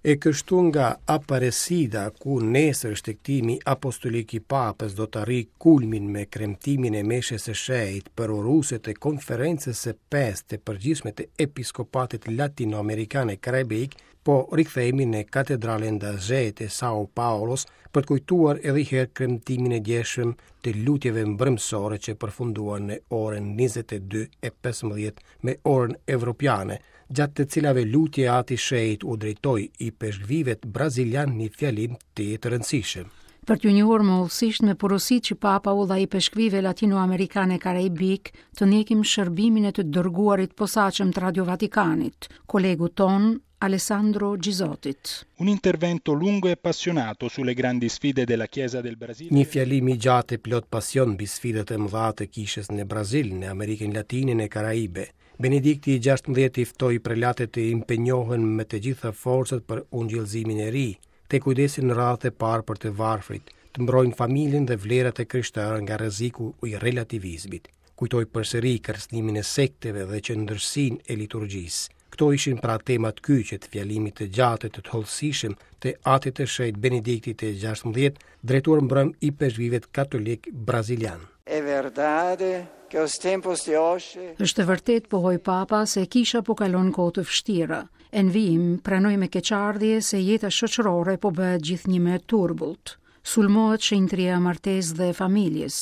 E kështu nga Aparecida, ku nesër shtegtimi apostolik i Papës do të arrijë kulmin me kremtimin e meshës së shenjtë përuruese të Konferencës së pestë të Përgjithshme të Episkopatit Latinoamerikan e Karaibik, po rikthehemi në Katedralen da Sé të Sao Paulos për të kujtuar edhe një herë kremtimin e djeshëm të lutjeve mbrëmësore që përfunduan në orën 22:15 me orën evropiane, gjatë të cilave lutje Ati i Shenjtë u drejtoi ipeshkvijve brazilianë një fjalim tejet të rëndësishëm. Për t'ju njohur më hollësisht me porositë që Papa u dha ipeshkvijve latinoamerikanë e karaibikë, të ndjekim shërbimin e të dërguarit të posaçëm të Radio Vatikanit, kolegut tonë Alessandro Gisotit. Un intervento lungo e appassionato sulle grandi sfide della Chiesa del Brasile. Një fjalim i gjatë e plot pasion mbi sfidat e mëdha të kishës në Brazil, në Amerikën Latine, në Karaibe. Benedikti i 16 i ftoi prelatët të impenjohen me të gjitha forcat për ungjillëzimin e ri, të kujdesen në radhë të parë për të varfrit, të mbrojnë familjen dhe vlerat e krishtera nga rreziku i relativizmit. Kujtoi përsëri kërcënimin e sekteve dhe qendërsinë e liturgjisë. Këto ishin pra temat kyçe të fjalimit të gjatë e të hollësishëm të Atit të Shenjtë Benediktit të 16, drejtuar mbrëmë ipeshkvijve katolikë brazilianë. É verdade que os tempos de hoje Është e vërtetë, pohoi Papa, se kisha po kalon kohë të vështira. E në vijim, pranoi me keqardhje se jeta shoqërore po bëhet gjithnjë më e turbullt. Sulmohet shenjtëria e martesës dhe e familjes.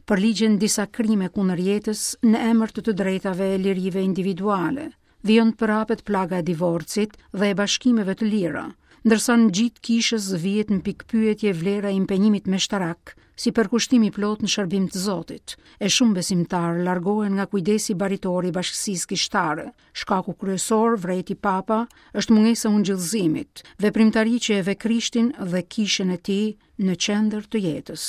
Përligjen disa krime kundër jetës në emër të të drejtave e lirive individuale. Vijon të përhapet plaga e divorcit dhe e bashkimeve të lira, ndërsa në gji të kishës vihet në pikëpyetje vlera e impenjimit meshtarak, si përkushtim i plotë në shërbim të Zotit, e shumë besimtarë largohen nga kujdesi baritor i bashkësisë kishtare. Shkaku kryesor, vërejti Papa, është mungesa e ungjillëzimit, veprimtari që e vë Krishtin dhe kishën e tij në qendër të jetës.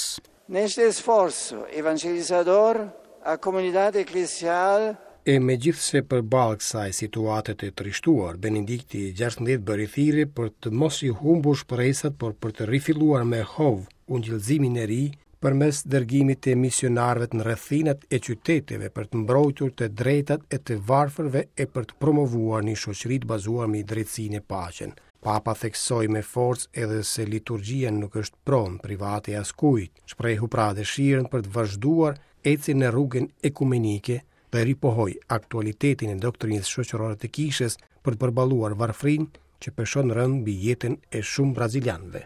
Neste esforço evangelizador, a comunidade eclesial E megjithëse përballë kësaj situate të trishtuar, Benedikti i 16 bëri thirrje për të mos i humbur shpresat, por për të rifilluar me hov ungjillëzimin e ri përmes dërgimit të misionarëve në rrethinat e qyteteve për të mbrojtur të drejtat e të varfërve e për të promovuar një shoqëri të bazuar mbi drejtësinë e paqen. Papa theksoi me forcë edhe se liturgjia nuk është pronë private e askujt, shprehu pra dëshirën për të vazhduar ecjen në rrugën ekumenike dhe ripohoi aktualitetin e doktrinës shoqërore të kishës për të përballuar varfërinë që peshon rëndë mbi jetën e shumë brazilianëve.